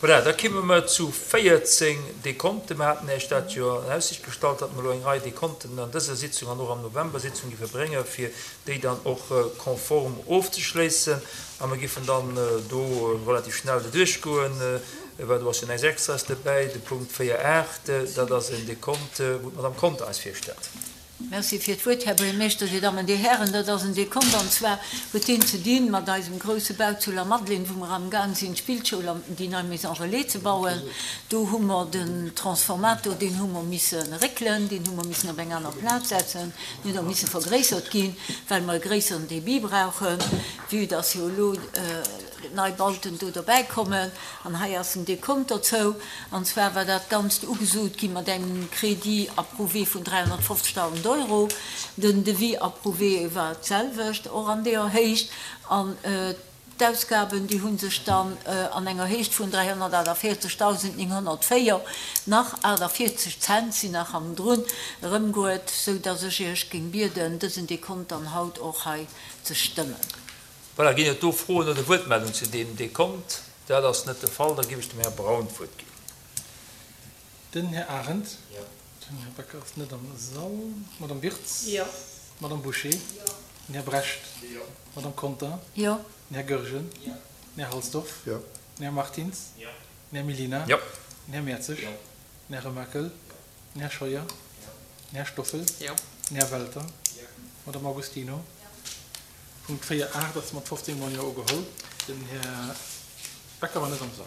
Voilà, da kimme mer zu 14 Dekonten. Mer haten Iech dat jo an Aussicht gestallt, datt mer elo eng Rei Dekonten an dëser Sitzung an och am November-Sitzung géife bréngen, fir déi dann och konform ofzeschléissen. A mer géifen dann do relativ schnell doduerchgoen, well do ass jo näischt Extraes dobäi. De Punkt 4, 8, dat ass en Dekont, wou d'Madame Conter eis virstellt. Merci fir d'Wuert, Här Buergermeeschter, Dir Dammen, Dir Hären. Dat ass en Dekont, an zwar huet deen ze dinn mat eisem grouse Bau zu Lamadelaine, wou mer amgaang sinn, d'Spillschoul an déi nei Maison relais ze bauen. Do hu mer den Transformator, deen hu mer misse réckelen, deen hu mer missen op eng aner Plaz setzen, deen huet och misse vergréissert ginn, well mer e gréisseren Débit brauchen, vue dass jo elo nei Bauten do derbäi kommen. An hei ass en Dekont dozou. An zwar war dat Ganzt ugesot gi mat engem Crédit approuvé vun 350.000 Euro. Den Devis approuvé war d'selwecht, och an deeër Héicht. An d'Ausgaben, déi hu sech dann an enger Héicht vun 348.904, nach 48 Cent sinn nach hannendrun, erëmgoet, sou dass ech Iech géing bieden, dësen Dekont dann haut och hei ze stëmmen. Voilà, ginn et do Froen oder Wuertmeldungen zu deem Dekont? Dat ass net de Fall. Da géif ech dem Här Braun d'Wuert ginn. Den Här Arendt. Jo. Den Här Becker ass net am Sall. D'Madame Wirtz. Jo. D'Madame Bouché. Jo. Den Här Brecht. Jo. D'Madame Conter. Jo. Den Här Goergen. Jo. Den Här Halsdorf. Jo. Den Här Martins. Jo. Den Här Mellina. Jo. Den Här Mertzig. Jo. Den Här Remakel. Jo. Den Här Scheuer. Jo. Den Här Stoffel. Jo. Den Här Welter. Jo. D'Madame Agostino. Jo. Punkt 4, 8 ass mat 15 mol Jo ugeholl. Den Här Becker war net am Sall.